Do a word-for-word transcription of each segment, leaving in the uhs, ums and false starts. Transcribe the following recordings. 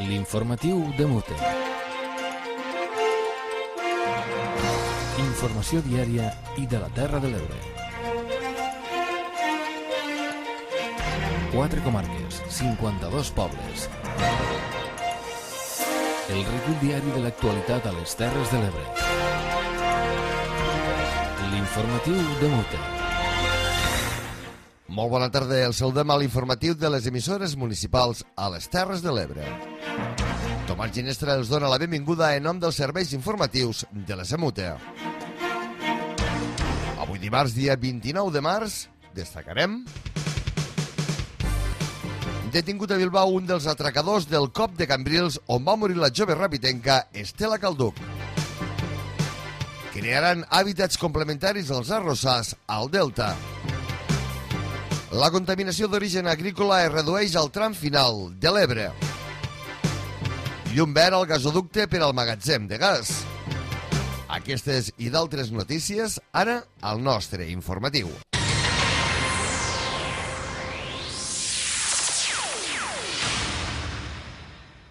L'informatiu de Mute. Informació diària i de la Terra de l'Ebre. Quatre comarques, cinquanta-dos pobles. El recull diari de l'actualitat a les Terres de l'Ebre. L'informatiu de Mute. Molt bona tarda, el saludem a l'informatiu de les emissores municipals a les Terres de l'Ebre. Tomàs Ginestra els dona la benvinguda en nom dels serveis informatius de la Semute. Avui dimarts, dia vint-i-nou de març, destacarem... Detingut a Bilbao un dels atracadors del cop de Cambrils on va morir la jove rapitenca Estela Calduc. Crearan hàbitats complementaris als arrossars al Delta. La contaminació d'origen agrícola es redueix al tram final de l'Ebre. Llum verd al gasoducte per al magatzem de gas. Aquestes i d'altres notícies, ara al nostre informatiu.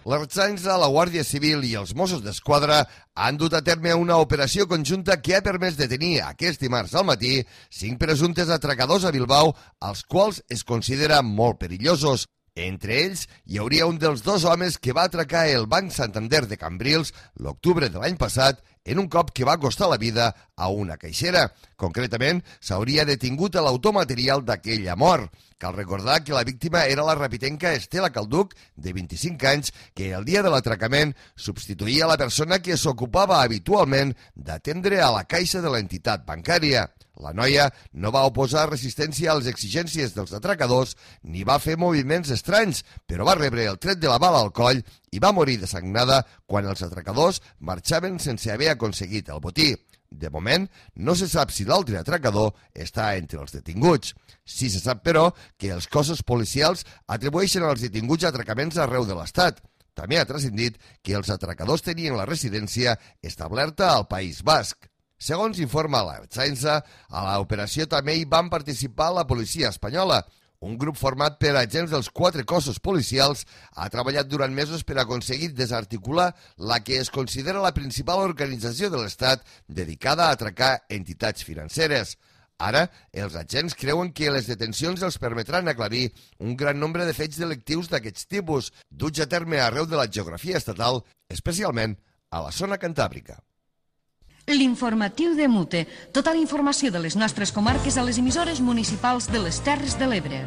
L'Ertzaintza, la Guàrdia Civil i els Mossos d'Esquadra han dut a terme una operació conjunta que ha permès detenir aquest dimarts al matí cinc presumptes atracadors a Bilbao, als quals es considera molt perillosos. Entre ells hi hauria un dels dos homes que va atracar el Banc Santander de Cambrils l'octubre de l'any passat en un cop que va costar la vida a una caixera. Concretament, s'hauria detingut a l'autor material d'aquella mort. Cal recordar que la víctima era la rapitenca Estela Calduc, de vint-i-cinc anys, que el dia de l'atracament substituïa la persona que s'ocupava habitualment d'atendre a la caixa de l'entitat bancària. La noia no va oposar resistència a les exigències dels atracadors ni va fer moviments estranys, però va rebre el tret de la bala al coll i va morir desagnada quan els atracadors marxaven sense haver aconseguit el botí. De moment, no se sap si l'altre atracador està entre els detinguts. Sí se sap, però, que els cossos policials atribueixen als detinguts atracaments arreu de l'Estat. També ha transcendit que els atracadors tenien la residència establerta al País Basc. Segons informa l'Ertzaintza, a l'operació també hi van participar la policia espanyola. Un grup format per agents dels quatre cossos policials ha treballat durant mesos per aconseguir desarticular la que es considera la principal organització de l'Estat dedicada a atracar entitats financeres. Ara, els agents creuen que les detencions els permetran aclarir un gran nombre de fets delictius d'aquests tipus, duts a terme arreu de la geografia estatal, especialment a la zona cantàbrica. L'informatiu de Mute. Tota la informació de les nostres comarques a les emissores municipals de les Terres de l'Ebre.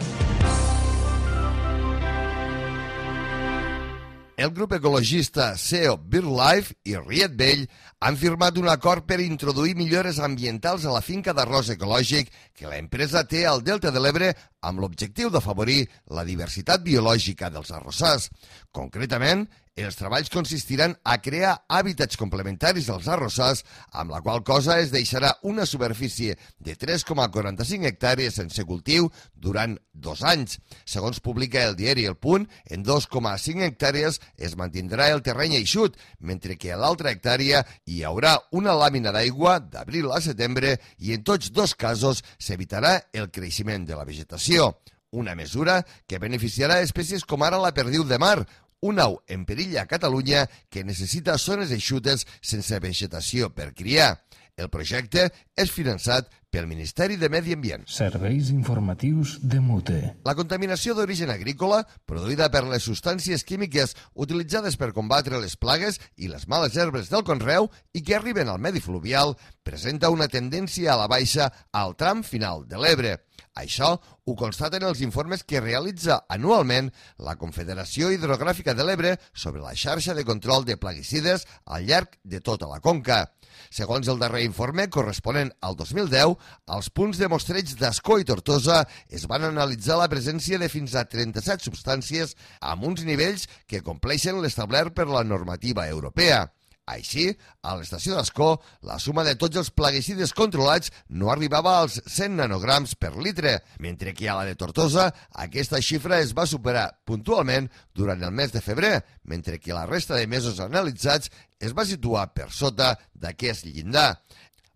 El grup ecologista S E O BirdLife i Riet Vell han firmat un acord per introduir millores ambientals a la finca d'arròs ecològic que l'empresa té al Delta de l'Ebre amb l'objectiu d'afavorir la diversitat biològica dels arrossars. Concretament, els treballs consistiran a crear hàbitats complementaris als arrossars, amb la qual cosa es deixarà una superfície de tres coma quaranta-cinc hectàrees sense cultiu durant dos anys. Segons publica el diari El Punt, en dos coma cinc hectàrees es mantindrà el terreny eixut, mentre que a l'altra hectàrea hi haurà una làmina d'aigua d'abril a setembre i en tots dos casos s'evitarà el creixement de la vegetació. Una mesura que beneficiarà espècies com ara la perdiu de mar, un au en perill a Catalunya que necessita zones eixutes sense vegetació per criar. El projecte és finançat pel Ministeri de Medi Ambient. Serveis informatius de Mute. La contaminació d'origen agrícola, produïda per les substàncies químiques utilitzades per combatre les plagues i les males herbes del conreu i que arriben al medi fluvial, presenta una tendència a la baixa al tram final de l'Ebre. Això ho constaten els informes que realitza anualment la Confederació Hidrogràfica de l'Ebre sobre la xarxa de control de plaguicides al llarg de tota la conca. Segons el darrer informe, corresponent al dos mil deu, als punts de mostreig d'Ascó i Tortosa es van analitzar la presència de fins a trenta-set substàncies amb uns nivells que compleixen l'establert per la normativa europea. Així, a l'estació d'Ascó, la suma de tots els plaguicides controlats no arribava als cent nanograms per litre, mentre que a la de Tortosa aquesta xifra es va superar puntualment durant el mes de febrer, mentre que la resta de mesos analitzats es va situar per sota d'aquest llindar.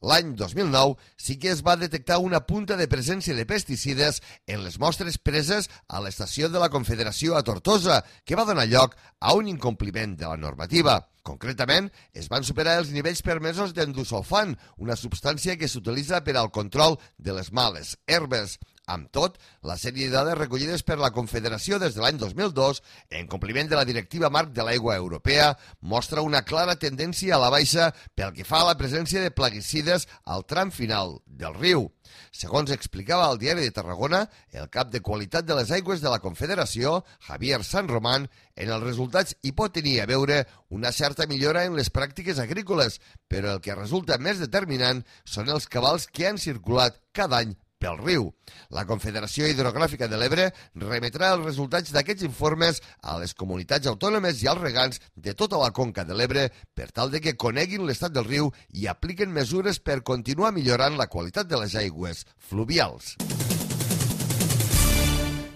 L'any dos mil nou sí que es va detectar una punta de presència de pesticides en les mostres preses a l'estació de la Confederació a Tortosa, que va donar lloc a un incompliment de la normativa. Concretament, es van superar els nivells permesos d'endosulfan, una substància que s'utilitza per al control de les males herbes. Amb tot, la sèrie de dades recollides per la Confederació des de l'any dos mil dos, en compliment de la Directiva Marc de l'Aigua Europea, mostra una clara tendència a la baixa pel que fa a la presència de plaguicides al tram final del riu. Segons explicava al Diari de Tarragona, el cap de qualitat de les aigües de la Confederació, Javier San Román, en els resultats hi pot tenir a veure una certa millora en les pràctiques agrícoles, però el que resulta més determinant són els cabals que han circulat cada any pel riu. La Confederació Hidrogràfica de l'Ebre remetrà els resultats d'aquests informes a les comunitats autònomes i als regants de tota la conca de l'Ebre per tal de que coneguin l'estat del riu i apliquen mesures per continuar millorant la qualitat de les aigües fluvials.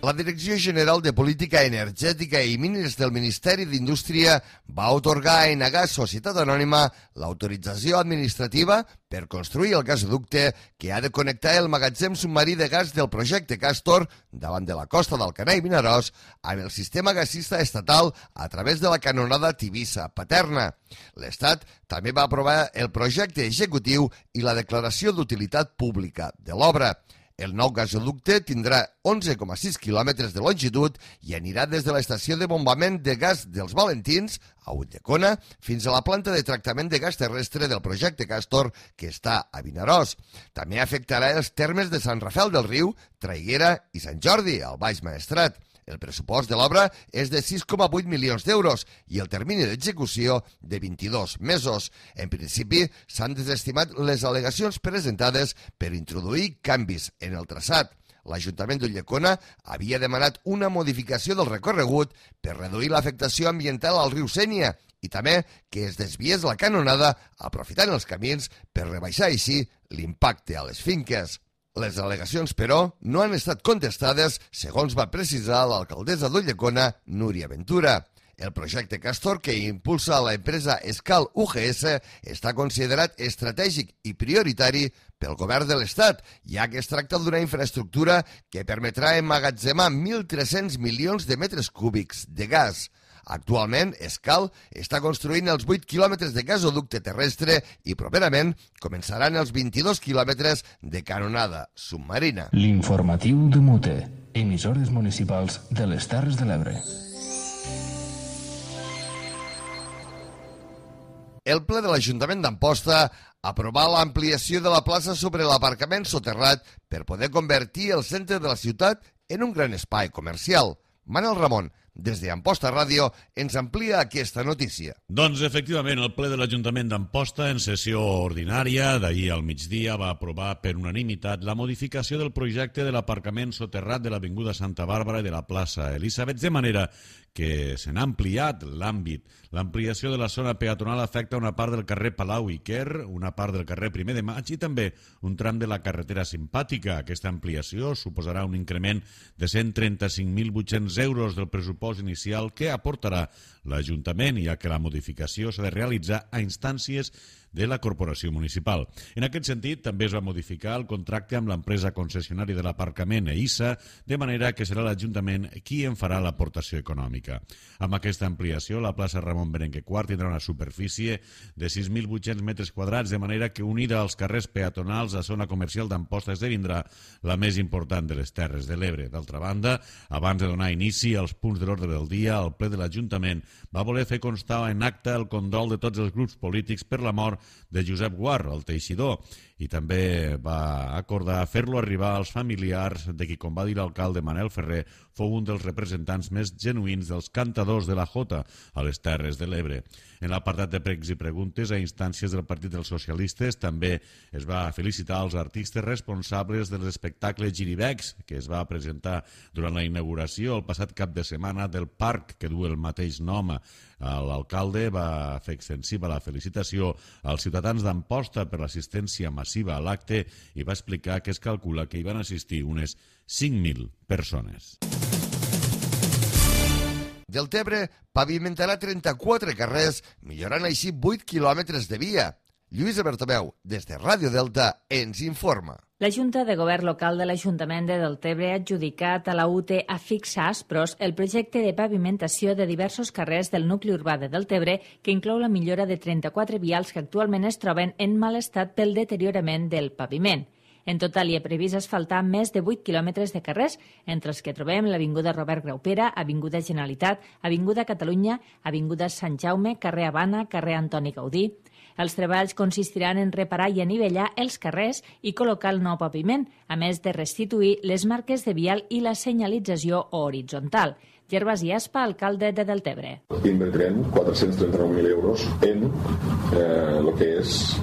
La Direcció General de Política Energètica i Mines del Ministeri d'Indústria va atorgar a Enagás Societat Anònima l'autorització administrativa per construir el gasoducte que ha de connectar el magatzem submarí de gas del projecte Castor davant de la costa d'Alcanar i Vinaròs amb el sistema gasista estatal a través de la canonada Tivissa-Paterna. L'Estat també va aprovar el projecte executiu i la declaració d'utilitat pública de l'obra. El nou gasoducte tindrà onze coma sis quilòmetres de longitud i anirà des de l'estació de bombament de gas dels Valentins, a Ulldecona, fins a la planta de tractament de gas terrestre del projecte Castor, que està a Vinaròs. També afectarà els termes de Sant Rafel del Riu, Traiguera i Sant Jordi, al Baix Maestrat. El pressupost de l'obra és de sis coma vuit milions d'euros i el termini d'execució de vint-i-dos mesos. En principi, s'han desestimat les al·legacions presentades per introduir canvis en el traçat. L'Ajuntament d'Ulldecona havia demanat una modificació del recorregut per reduir l'afectació ambiental al riu Sénia i també que es desviés la canonada aprofitant els camins per rebaixar així l'impacte a les finques. Les al·legacions, però, no han estat contestades, segons va precisar l'alcaldessa d'Ulldecona, Núria Ventura. El projecte Castor, que impulsa l'empresa Escal U G S, està considerat estratègic i prioritari pel govern de l'Estat, ja que es tracta d'una infraestructura que permetrà emmagatzemar mil tres-cents milions de metres cúbics de gas. Actualment, Escal està construint els vuit quilòmetres de gasoducte terrestre i properament començaran els vint-i-dos quilòmetres de canonada submarina. L'informatiu de Mute, emissores municipals de les Terres de l'Ebre. El ple de l'Ajuntament d'Amposta aprovà l'ampliació de la plaça sobre l'aparcament soterrat per poder convertir el centre de la ciutat en un gran espai comercial. Manel Ramon, des d'Amposta Ràdio, ens amplia aquesta notícia. Doncs, efectivament, el ple de l'Ajuntament d'Amposta, en sessió ordinària d'ahir al migdia, va aprovar per unanimitat la modificació del projecte de l'aparcament soterrat de l'Avinguda Santa Bàrbara i de la plaça Elisabet, de manera que se n'ha ampliat l'àmbit. L'ampliació de la zona peatonal afecta una part del carrer Palau i Quer, una part del carrer Primer de Maig i també un tram de la carretera Simpàtica. Aquesta ampliació suposarà un increment de cent trenta-cinc mil vuit-cents euros del pressupost inicial que aportarà l'Ajuntament, ja que la modificació s'ha de realitzar a instàncies de la Corporació Municipal. En aquest sentit, també es va modificar el contracte amb l'empresa concessionària de l'aparcament EISA, de manera que serà l'Ajuntament qui en farà l'aportació econòmica. Amb aquesta ampliació, la plaça Ramon Berenguer quart tindrà una superfície de sis mil vuit-cents metres quadrats, de manera que unida als carrers peatonals, la zona comercial d'Amposta esdevindrà la més important de les Terres de l'Ebre. D'altra banda, abans de donar inici als punts de l'ordre del dia, el ple de l'Ajuntament va voler fer constar en acte el condol de tots els grups polítics per la mort de Josep Guar, el teixidor, i també va acordar fer-lo arribar als familiars de qui, com va dir l'alcalde Manel Ferrer, fou un dels representants més genuïns dels cantadors de la Jota a les Terres de l'Ebre. En l'apartat de pregs i preguntes, a instàncies del Partit dels Socialistes, també es va felicitar els artistes responsables dels espectacles Giribecs, que es va presentar durant la inauguració el passat cap de setmana del parc que du el mateix nom. L'alcalde va fer extensiva la felicitació als ciutadans d'Amposta per l'assistència massiva a l'acte i va explicar que es calcula que hi van assistir unes cinc mil persones. Deltebre pavimentarà trenta-quatre carrers, millorant així vuit quilòmetres de via. Lluïsa Bertomeu, des de Ràdio Delta, ens informa. La Junta de Govern Local de l'Ajuntament de Deltebre ha adjudicat a la U T a Fixa Aspros el projecte de pavimentació de diversos carrers del nucli urbà de Deltebre, que inclou la millora de trenta-quatre vials que actualment es troben en mal estat pel deteriorament del paviment. En total hi ha previst asfaltar més de vuit quilòmetres de carrers, entre els que trobem l'Avinguda Robert Graupera, Avinguda Generalitat, Avinguda Catalunya, Avinguda Sant Jaume, carrer Habana, carrer Antoni Gaudí. Els treballs consistiran en reparar i anivellar els carrers i col·locar el nou paviment, a més de restituir les marques de vial i la senyalització horitzontal. Gervasi Aspa, alcalde de Deltebre. Invertirem quatre-cents trenta-nou mil euros en eh, el que és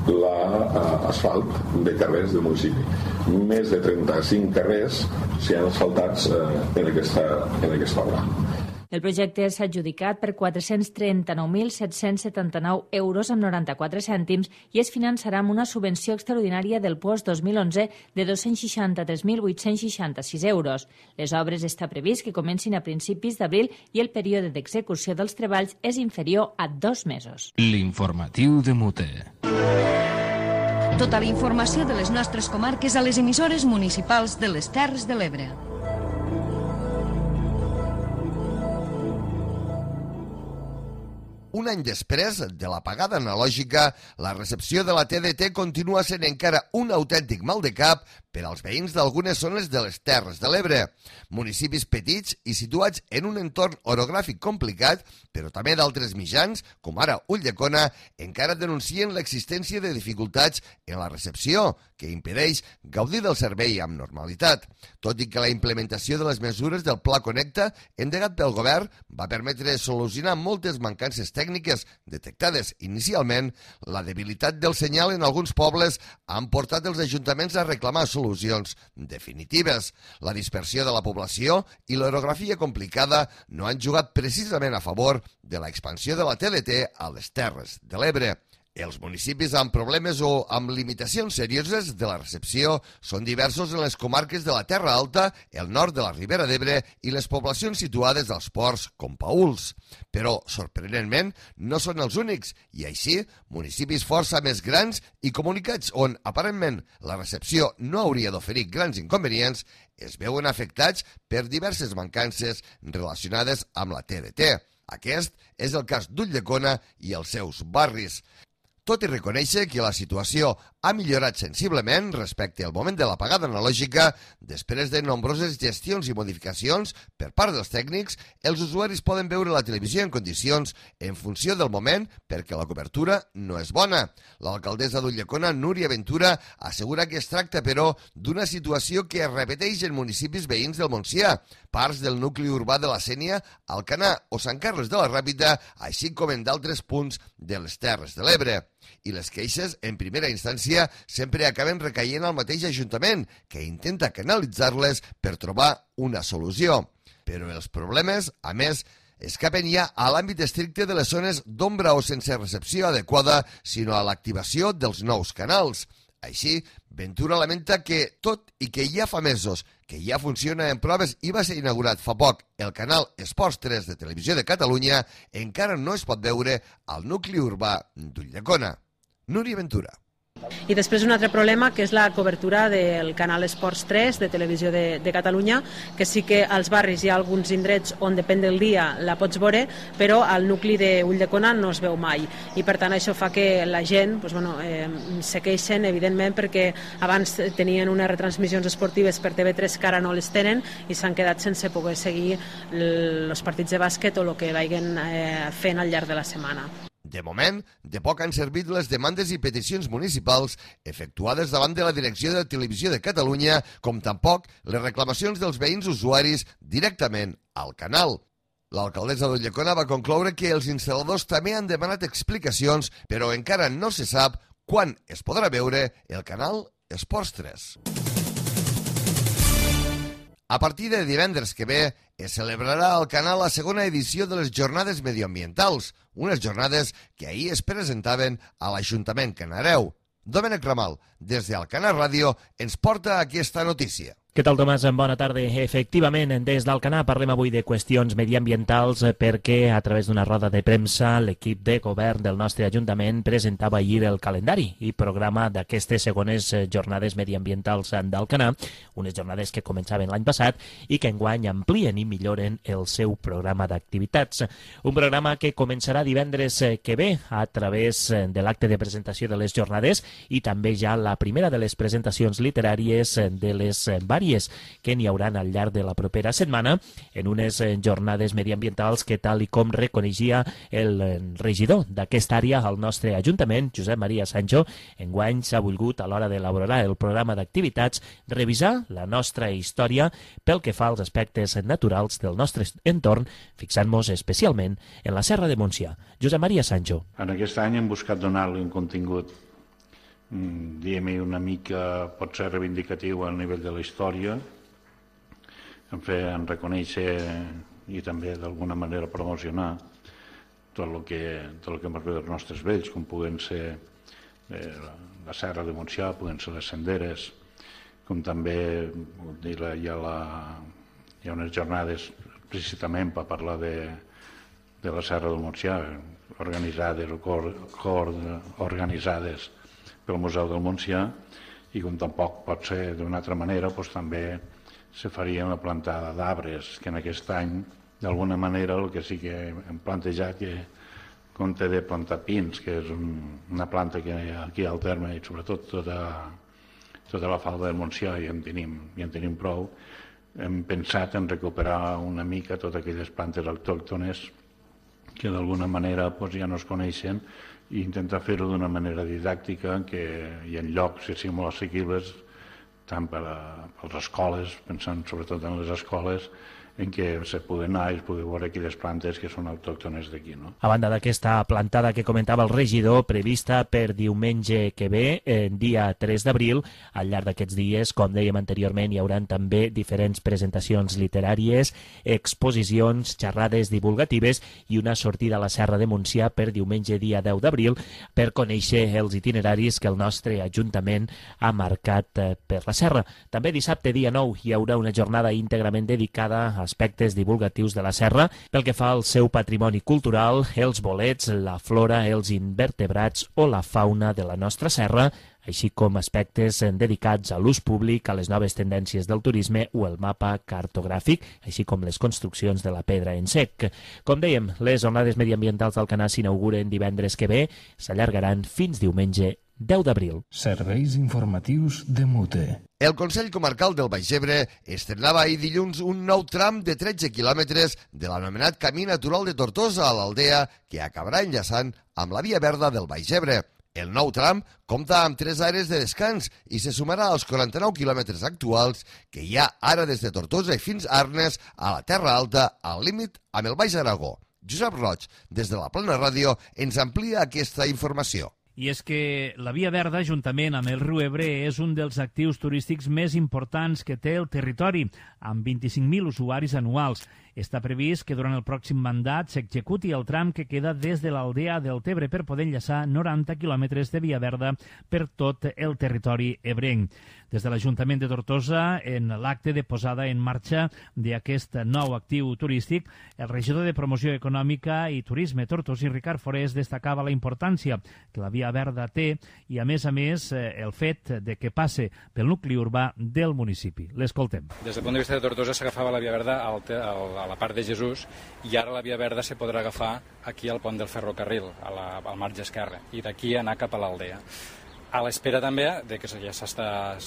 l'asfalt de carrers del municipi. Més de trenta-cinc carrers s'hi han asfaltats eh, en, aquesta, en aquesta obra. El projecte s'ha adjudicat per quatre-cents trenta-nou mil set-cents setanta-nou euros amb noranta-quatre cèntims i es finançarà amb una subvenció extraordinària del P O S dos mil onze de dos-cents seixanta-tres mil vuit-cents seixanta-sis euros. Les obres està previst que comencin a principis d'abril i el període d'execució dels treballs és inferior a dos mesos. L'informatiu de Mute. Tota la informació de les nostres comarques a les emissores municipals de les Terres de l'Ebre. Un any després de l'apagada analògica, la recepció de la T D T continua sent encara un autèntic mal de cap per als veïns d'algunes zones de les Terres de l'Ebre. Municipis petits i situats en un entorn orogràfic complicat, però també d'altres mitjans, com ara Ulldecona, encara denuncien l'existència de dificultats en la recepció, que impedeix gaudir del servei amb normalitat. Tot i que la implementació de les mesures del Pla Connecta, endegat pel govern, va permetre solucionar moltes mancances tècniques detectades inicialment, la debilitat del senyal en alguns pobles han portat els ajuntaments a reclamar solucions definitives. La dispersió de la població i l'orografia complicada no han jugat precisament a favor de l'expansió de la T D T a les Terres de l'Ebre. Els municipis amb problemes o amb limitacions serioses de la recepció són diversos en les comarques de la Terra Alta, el nord de la Ribera d'Ebre i les poblacions situades als ports com Paüls. Però, sorprenentment, no són els únics i així, municipis força més grans i comunicats on, aparentment, la recepció no hauria d'oferir grans inconvenients, es veuen afectats per diverses mancances relacionades amb la T D T. Aquest és el cas d'Ulldecona i els seus barris. Tot i reconèixer que la situació ha millorat sensiblement respecte al moment de l'apagada analògica, després de nombroses gestions i modificacions per part dels tècnics, els usuaris poden veure la televisió en condicions en funció del moment perquè la cobertura no és bona. L'alcaldessa d'Ulldecona, Núria Ventura, assegura que es tracta, però, d'una situació que es repeteix en municipis veïns del Montsià, parts del nucli urbà de la Sénia, Alcanar o Sant Carles de la Ràpita, així com en d'altres punts de les Terres de l'Ebre. I les queixes, en primera instància, sempre acaben recaient al mateix Ajuntament, que intenta canalitzar-les per trobar una solució. Però els problemes, a més, escapen ja a l'àmbit estricte de les zones d'ombra o sense recepció adequada, sinó a l'activació dels nous canals. Així, Ventura lamenta que, tot i que ja fa mesos que ja funciona en proves i va ser inaugurat fa poc el canal Esports tres de Televisió de Catalunya, encara no es pot veure al nucli urbà d'Ulldecona. Núria Ventura. I després un altre problema, que és la cobertura del canal Esports tres de Televisió de, de Catalunya, que sí que als barris hi ha alguns indrets on depèn del dia la pots veure, però al nucli d'Ulldecona no es veu mai. I per tant això fa que la gent doncs, bueno, eh, se queixen, evidentment, perquè abans tenien unes retransmissions esportives per T V tres que ara no les tenen i s'han quedat sense poder seguir els partits de bàsquet o el que vagin eh, fent al llarg de la setmana. De moment, de poc han servit les demandes i peticions municipals efectuades davant de la Direcció de Televisió de Catalunya, com tampoc les reclamacions dels veïns usuaris directament al canal. L'alcaldessa d'Ulldecona va concloure que els instal·ladors també han demanat explicacions, però encara no se sap quan es podrà veure el canal Esports tres. A partir de divendres que ve, es celebrarà al canal la segona edició de les Jornades Medioambientals, unes jornades que ahir es presentaven a l'Ajuntament Canareu. Domènec Ramal, des d'Alcanar Ràdio, ens porta aquesta notícia. Què tal, Tomàs? Bona tarda. Efectivament, des d'Alcanar parlem avui de qüestions mediambientals perquè a través d'una roda de premsa l'equip de govern del nostre Ajuntament presentava ahir el calendari i programa d'aquestes segones jornades mediambientals d'Alcanar, unes jornades que començaven l'any passat i que enguany amplien i milloren el seu programa d'activitats. Un programa que començarà divendres que ve a través de l'acte de presentació de les jornades i també ja la primera de les presentacions literàries de les vàries que n'hi hauran al llarg de la propera setmana en unes jornades mediambientals que, tal i com reconeixia el regidor d'aquesta àrea al nostre Ajuntament, Josep Maria Sancho, enguany s'ha volgut, a l'hora d'elaborar el programa d'activitats, revisar la nostra història pel que fa als aspectes naturals del nostre entorn, fixant-nos especialment en la Serra de Montsià. Josep Maria Sancho. En aquest any hem buscat donar-li un contingut diguem-hi una mica, pot ser reivindicatiu al nivell de la història, en fer, en reconèixer i també d'alguna manera promocionar tot el que, tot el que hem arribat dels nostres vells, com puguen ser eh, la Serra de Montsià, puguen ser les senderes, com també hi ha, la, hi ha unes jornades precisament per parlar de, de la Serra de Montsià, organitzades o cor, cor, organitzades pel Museu del Montsià, i com tampoc pot ser d'una altra manera, doncs també se faria una plantada d'arbres, que en aquest any, d'alguna manera, el que sí que hem plantejat que compte de plantar pins, que és un, una planta que aquí al terme, i sobretot tota, tota la falda del Montsià, i en tenim, i en tenim prou, hem pensat en recuperar una mica totes aquelles plantes autòctones que d'alguna manera doncs, ja no es coneixen, i intentar fer-ho d'una manera didàctica que, i en llocs que siguin molt assequibles tant per a, per les escoles, pensant sobretot en les escoles, en què se poden anar i es poden veure aquelles plantes que són autòctones d'aquí. No? A banda d'aquesta plantada que comentava el regidor, prevista per diumenge que ve, eh, dia tres d'abril, al llarg d'aquests dies, com dèiem anteriorment, hi haurà també diferents presentacions literàries, exposicions, xerrades divulgatives i una sortida a la Serra de Montsià per diumenge dia deu d'abril per conèixer els itineraris que el nostre Ajuntament ha marcat eh, per la serra. També dissabte dia nou hi haurà una jornada íntegrament dedicada a aspectes divulgatius de la serra pel que fa al seu patrimoni cultural, els bolets, la flora, els invertebrats o la fauna de la nostra serra, així com aspectes dedicats a l'ús públic, a les noves tendències del turisme o el mapa cartogràfic, així com les construccions de la pedra en sec. Com dèiem, les jornades mediambientals d'Alcanar s'inauguren divendres que ve, s'allargaran fins diumenge deu d'abril. Serveis informatius de Mute. El Consell Comarcal del Baix Ebre estrenava ahir dilluns un nou tram de tretze quilòmetres de l'anomenat Camí Natural de Tortosa a l'Aldea, que acabarà enllaçant amb la Via Verda del Baix Ebre. El nou tram compta amb tres àrees de descans i se sumarà als quaranta-nou quilòmetres actuals que hi ha ara des de Tortosa i fins a Arnes, a la Terra Alta, al límit amb el Baix Aragó. Josep Roig, des de la Plana Ràdio, ens amplia aquesta informació. I és que la Via Verda, juntament amb el riu Ebre, és un dels actius turístics més importants que té el territori, amb vint-i-cinc mil usuaris anuals. Està previst que durant el pròxim mandat s'executi el tram que queda des de l'Aldea del Tebre per poder enllaçar noranta quilòmetres de Via Verda per tot el territori ebrenc. Des de l'Ajuntament de Tortosa, en l'acte de posada en marxa d'aquest nou actiu turístic, el regidor de Promoció Econòmica i Turisme tortosí, Ricard Forés, destacava la importància que la Via Verda té i, a més a més, el fet de que passe pel nucli urbà del municipi. L'escoltem. Des del punt de vista de Tortosa s'agafava la Via Verda al, al, a la part de Jesús i ara la Via Verda se podrà agafar aquí al pont del ferrocarril, a la, al marge esquerre, i d'aquí anar cap a l'Aldea. A l'espera també de que ja s'ha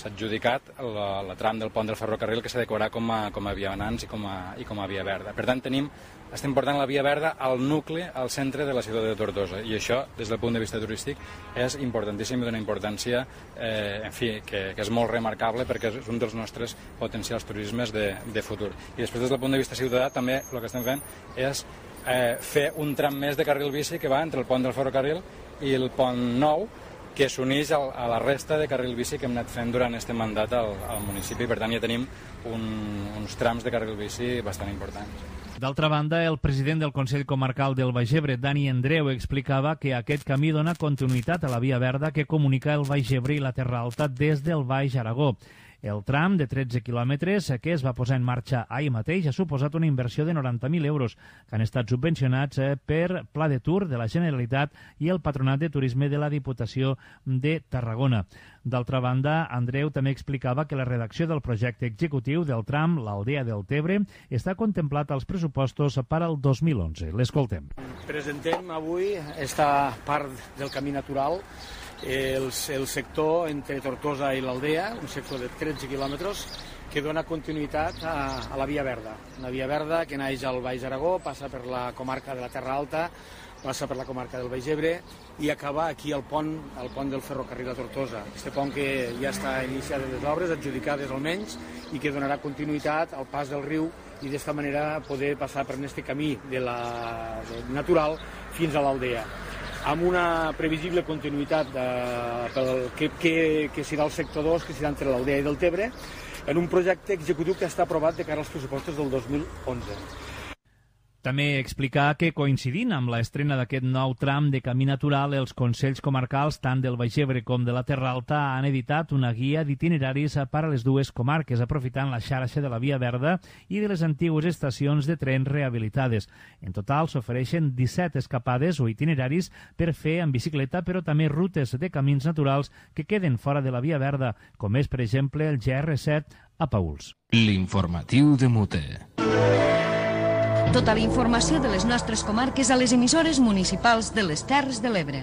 adjudicat la, la tram del pont del ferrocarril que s'adequarà com a, com a vianants i com a, i com a Via Verda. Per tant, tenim, estem portant la Via Verda al nucli, al centre de la ciutat de Tortosa, i això, des del punt de vista turístic, és importantíssim i d'una importància eh, en fi, que, que és molt remarcable perquè és un dels nostres potencials turismes de, de futur. I després, des del punt de vista ciutadà, també el que estem fent és eh, fer un tram més de carril bici que va entre el pont del ferrocarril i el pont nou, que s'uneix a la resta de carril bici que hem anat fent durant aquest mandat al, al municipi. Per tant, ja tenim un, uns trams de carril bici bastant importants. D'altra banda, el president del Consell Comarcal del Baix Ebre, Dani Andreu, explicava que aquest camí dona continuïtat a la Via Verda que comunica el Baix Ebre i la Terra Alta des del Baix Aragó. El tram de tretze quilòmetres que es va posar en marxa ahir mateix ha suposat una inversió de noranta mil euros que han estat subvencionats per Pla de Tour de la Generalitat i el Patronat de Turisme de la Diputació de Tarragona. D'altra banda, Andreu també explicava que la redacció del projecte executiu del tram l'Aldea del Tebre està contemplat als pressupostos per al dos mil onze. L'escoltem. Presentem avui esta part del camí natural, el, el sector entre Tortosa i l'Aldea, un sector de tretze quilòmetres, que dona continuïtat a, a la Via Verda. Una Via Verda que naix al Baix Aragó, passa per la comarca de la Terra Alta, passa per la comarca del Baix Ebre i acaba aquí al pont, al pont del ferrocarril a Tortosa. Este pont que ja està iniciat les obres, adjudicades almenys, i que donarà continuïtat al pas del riu i d'esta manera poder passar per aquest camí de la, de natural fins a l'Aldea, amb una previsible continuïtat de, pel, que, que, que serà el sector dos, que serà entre l'Aldea i del Tebre, en un projecte executiu que està aprovat de cara als pressupostos del dos mil onze. També explicar que, coincidint amb l'estrena d'aquest nou tram de camí natural, els Consells Comarcals, tant del Baix Ebre com de la Terra Alta, han editat una guia d'itineraris per a les dues comarques, aprofitant la xarxa de la Via Verda i de les antigues estacions de tren rehabilitades. En total, s'ofereixen disset escapades o itineraris per fer en bicicleta, però també rutes de camins naturals que queden fora de la Via Verda, com és, per exemple, el G R set a Pauls. L'informatiu de Mute. Tota la informació de les nostres comarques a les emissores municipals de les Terres de l'Ebre.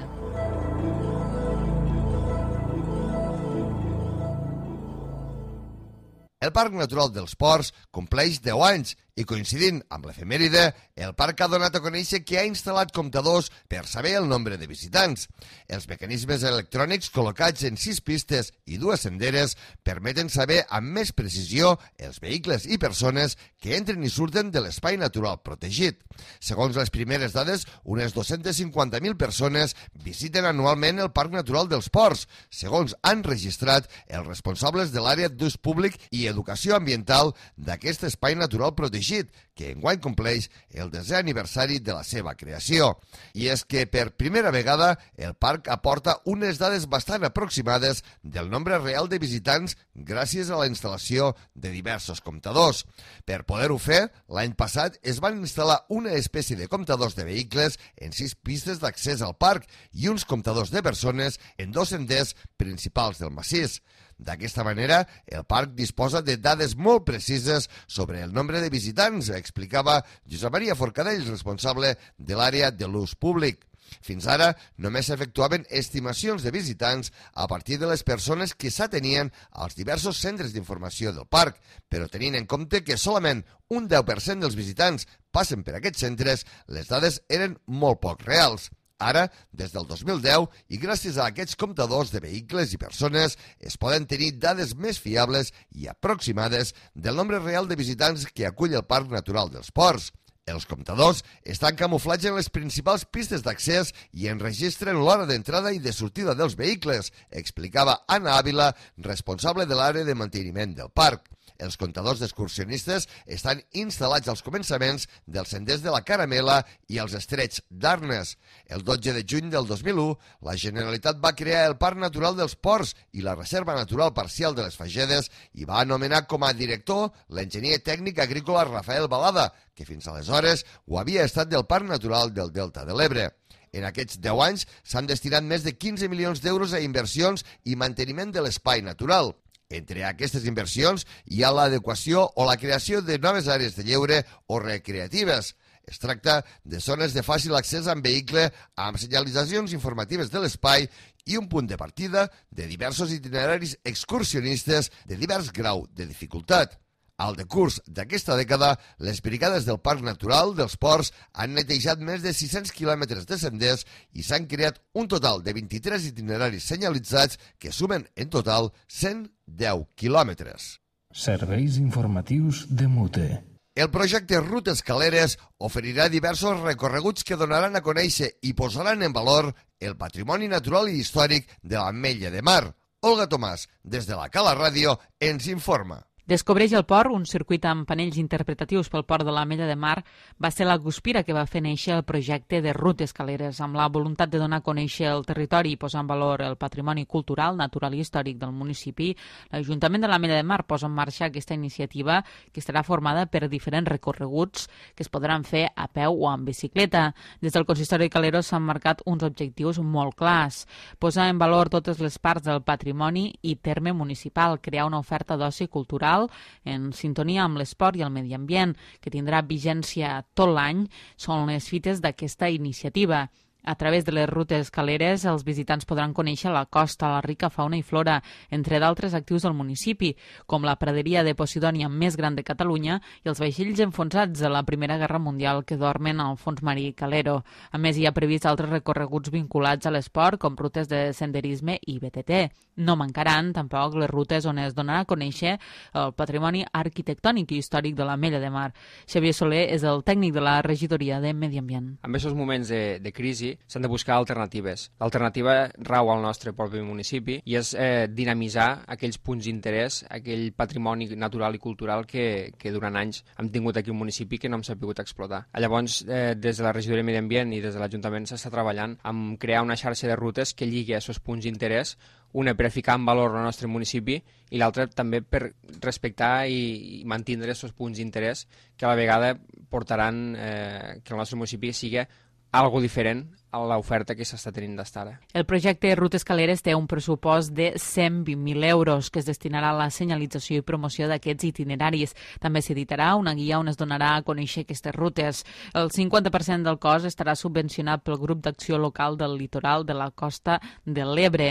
El Parc Natural dels Ports compleix deu anys i, coincidint amb l'efemèride, el parc ha donat a conèixer que ha instal·lat comptadors per saber el nombre de visitants. Els mecanismes electrònics col·locats en sis pistes i dues senderes permeten saber amb més precisió els vehicles i persones que entren i surten de l'espai natural protegit. Segons les primeres dades, unes dos-centes cinquanta mil persones visiten anualment el Parc Natural dels Ports, segons han registrat els responsables de l'àrea d'ús públic i educació ambiental d'aquest espai natural protegit, que enguany compleix el desè aniversari de la seva creació. I és que per primera vegada el parc aporta unes dades bastant aproximades del nombre real de visitants gràcies a la instal·lació de diversos comptadors. Per poder-ho fer, l'any passat es van instal·lar una espècie de comptadors de vehicles en sis pistes d'accés al parc i uns comptadors de persones en dos senders principals del massís. D'aquesta manera, el parc disposa de dades molt precises sobre el nombre de visitants, explicava Josep Maria Forcadell, responsable de l'àrea de l'ús públic. Fins ara, només s'efectuaven estimacions de visitants a partir de les persones que s'atenien als diversos centres d'informació del parc, però tenint en compte que solament un deu per cent dels visitants passen per aquests centres, les dades eren molt poc reals. Ara, des del dos mil deu, i gràcies a aquests comptadors de vehicles i persones, es poden tenir dades més fiables i aproximades del nombre real de visitants que acull el Parc Natural dels Ports. Els comptadors estan camuflats en les principals pistes d'accés i enregistren l'hora d'entrada i de sortida dels vehicles, explicava Anna Ávila, responsable de l'àrea de manteniment del parc. Els comptadors d'excursionistes estan instal·lats als començaments dels senders de la Caramela i els estrets d'Arnes. El dotze de juny del dos mil u, la Generalitat va crear el Parc Natural dels Ports i la Reserva Natural Parcial de les Fagedes i va anomenar com a director l'enginyer tècnic agrícola Rafael Balada, que fins aleshores ho havia estat del Parc Natural del Delta de l'Ebre. En aquests deu anys s'han destinat més de quinze milions d'euros a inversions i manteniment de l'espai natural. Entre aquestes inversions hi ha l'adequació o la creació de noves àrees de lleure o recreatives. Es tracta de zones de fàcil accés amb vehicle, amb senyalitzacions informatives de l'espai i un punt de partida de diversos itineraris excursionistes de divers grau de dificultat. Al decurs d'aquesta dècada, les brigades del Parc Natural dels Ports han netejat més de sis-cents quilòmetres de senders i s'han creat un total de vint-i-tres itineraris senyalitzats que sumen en total cent deu quilòmetres. Serveis informatius de Mute. El projecte Rutes Caleres oferirà diversos recorreguts que donaran a conèixer i posaran en valor el patrimoni natural i històric de l'Ametlla de Mar. Olga Tomàs, des de la Cala Ràdio, ens informa. Descobreix el port, un circuit amb panells interpretatius pel port de l'Ametlla de Mar, va ser la guspira que va fer néixer el projecte de Rutes Caleres, amb la voluntat de donar a conèixer el territori i posar en valor el patrimoni cultural, natural i històric del municipi. L'Ajuntament de l'Ametlla de Mar posa en marxa aquesta iniciativa que estarà formada per diferents recorreguts que es podran fer a peu o en bicicleta. Des del Consistori de Caleros s'han marcat uns objectius molt clars. Posar en valor totes les parts del patrimoni i terme municipal, crear una oferta d'oci cultural en sintonia amb l'esport i el medi ambient, que tindrà vigència tot l'any, són les fites d'aquesta iniciativa. A través de les rutes caleres, els visitants podran conèixer la costa, la rica fauna i flora, entre d'altres actius del municipi, com la praderia de Posidònia més gran de Catalunya i els vaixells enfonsats de la Primera Guerra Mundial que dormen al fons marí Calero. A més, hi ha previst altres recorreguts vinculats a l'esport, com rutes de senderisme i B T T. No mancaran, tampoc, les rutes on es donarà a conèixer el patrimoni arquitectònic i històric de l'Ametlla de Mar. Xavier Soler és el tècnic de la regidoria de Medi Ambient. En aquests moments de, de crisi s'han de buscar alternatives. L'alternativa rau al nostre propi municipi i és eh, dinamitzar aquells punts d'interès, aquell patrimoni natural i cultural que, que durant anys hem tingut aquí un municipi que no hem sabut explotar. Llavors, eh, des de la regidoria de Medi Ambient i des de l'Ajuntament s'està treballant en crear una xarxa de rutes que lligui a aquests punts d'interès, una per ficar en valor el nostre municipi i l'altra també per respectar i, i mantindre aquests punts d'interès que a la vegada portaran eh, que el nostre municipi sigui algo diferent a l'oferta que s'està tenint d'estar ara. El projecte Rutes Caleres té un pressupost de cent vint mil euros que es destinarà a la senyalització i promoció d'aquests itineraris. També s'editarà una guia on es donarà a conèixer aquestes rutes. El cinquanta per cent del cost estarà subvencionat pel grup d'acció local del litoral de la costa de l'Ebre.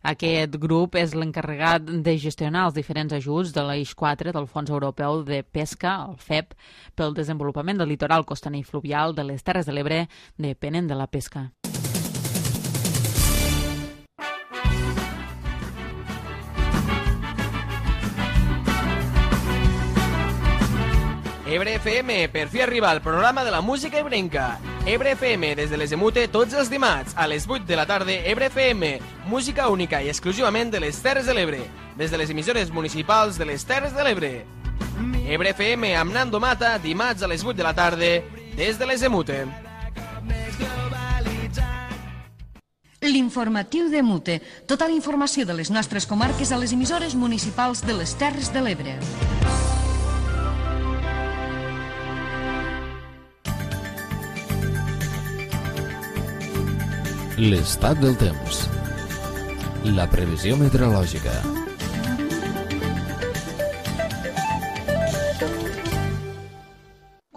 Aquest grup és l'encarregat de gestionar els diferents ajuts de l'Eix quatre del Fons Europeu de Pesca, el F E P, pel desenvolupament del litoral costaner i fluvial de les Terres de l'Ebre, depenent de la pesca. Ebre F M, per fi arriba el programa de la música ebrenca. Ebre F M, des de les Emute, tots els dimarts, a les vuit de la tarda, Ebre F M, música única i exclusivament de les Terres de l'Ebre, des de les emissores municipals de les Terres de l'Ebre. Ebre F M amb Nando Mata, dimarts a les vuit de la tarda, des de les Emute. L'informatiu de Mute. Tota la informació de les nostres comarques a les emissores municipals de les Terres de l'Ebre. L'estat del temps. La previsió meteorològica.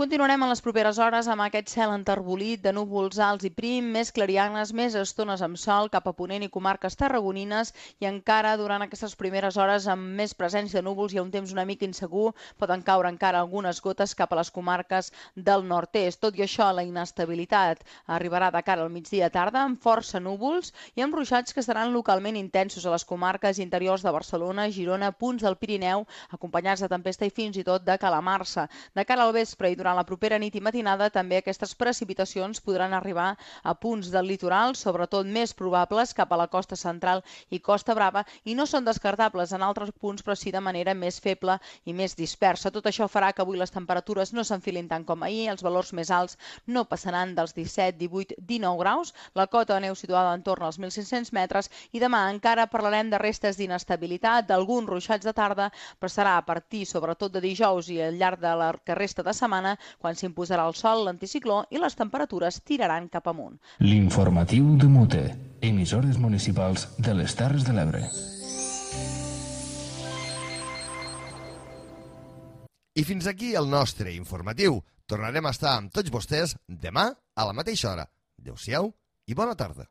Continuarem en les properes hores amb aquest cel enterbolit de núvols alts i prim, més clarianes, més estones amb sol cap a Ponent i comarques tarragonines i encara durant aquestes primeres hores amb més presència de núvols i un temps una mica insegur, poden caure encara algunes gotes cap a les comarques del nord-est. Tot i això, la inestabilitat arribarà de cara al migdia tarda amb força núvols i amb ruixats que seran localment intensos a les comarques interiors de Barcelona, Girona, punts del Pirineu, acompanyats de tempesta i fins i tot de calamarsa. De cara al vespre i durant la propera nit i matinada també aquestes precipitacions podran arribar a punts del litoral, sobretot més probables cap a la costa central i Costa Brava, i no són descartables en altres punts, però sí de manera més feble i més dispersa. Tot això farà que avui les temperatures no s'enfilin tant com ahir, els valors més alts no passaran dels disset, divuit, dinou graus, la cota de neu situada entorn als mil cinc-cents metres, i demà encara parlarem de restes d'inestabilitat, d'alguns ruixats de tarda, però serà a partir sobretot de dijous i al llarg de la que resta de setmana quan s'imposarà el sol, l'anticicló i les temperatures tiraran cap amunt. L'informatiu de Mute, emissores municipals de les Terres de l'Ebre. I fins aquí el nostre informatiu. Tornarem a estar amb tots vostès demà a la mateixa hora. Adéu-siau i bona tarda.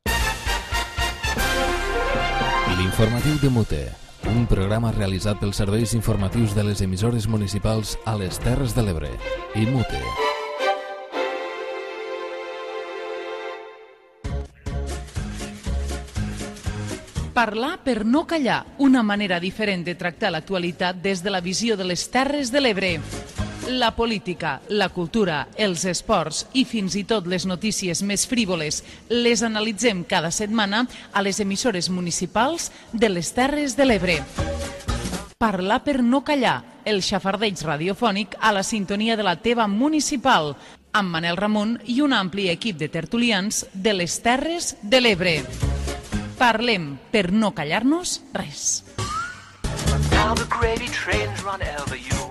L'informatiu de Mute, un programa realitzat pels serveis informatius de les emissores municipals a les Terres de l'Ebre i Mute. Parlar per no callar, una manera diferent de tractar l'actualitat des de la visió de les Terres de l'Ebre. La política, la cultura, els esports i fins i tot les notícies més frívoles les analitzem cada setmana a les emissores municipals de les Terres de l'Ebre. Parlar per no callar, el xafardeig radiofònic a la sintonia de la teva municipal, amb Manel Ramon i un ampli equip de tertulians de les Terres de l'Ebre. Parlem per no callar-nos res. Now the gravy trains run over you.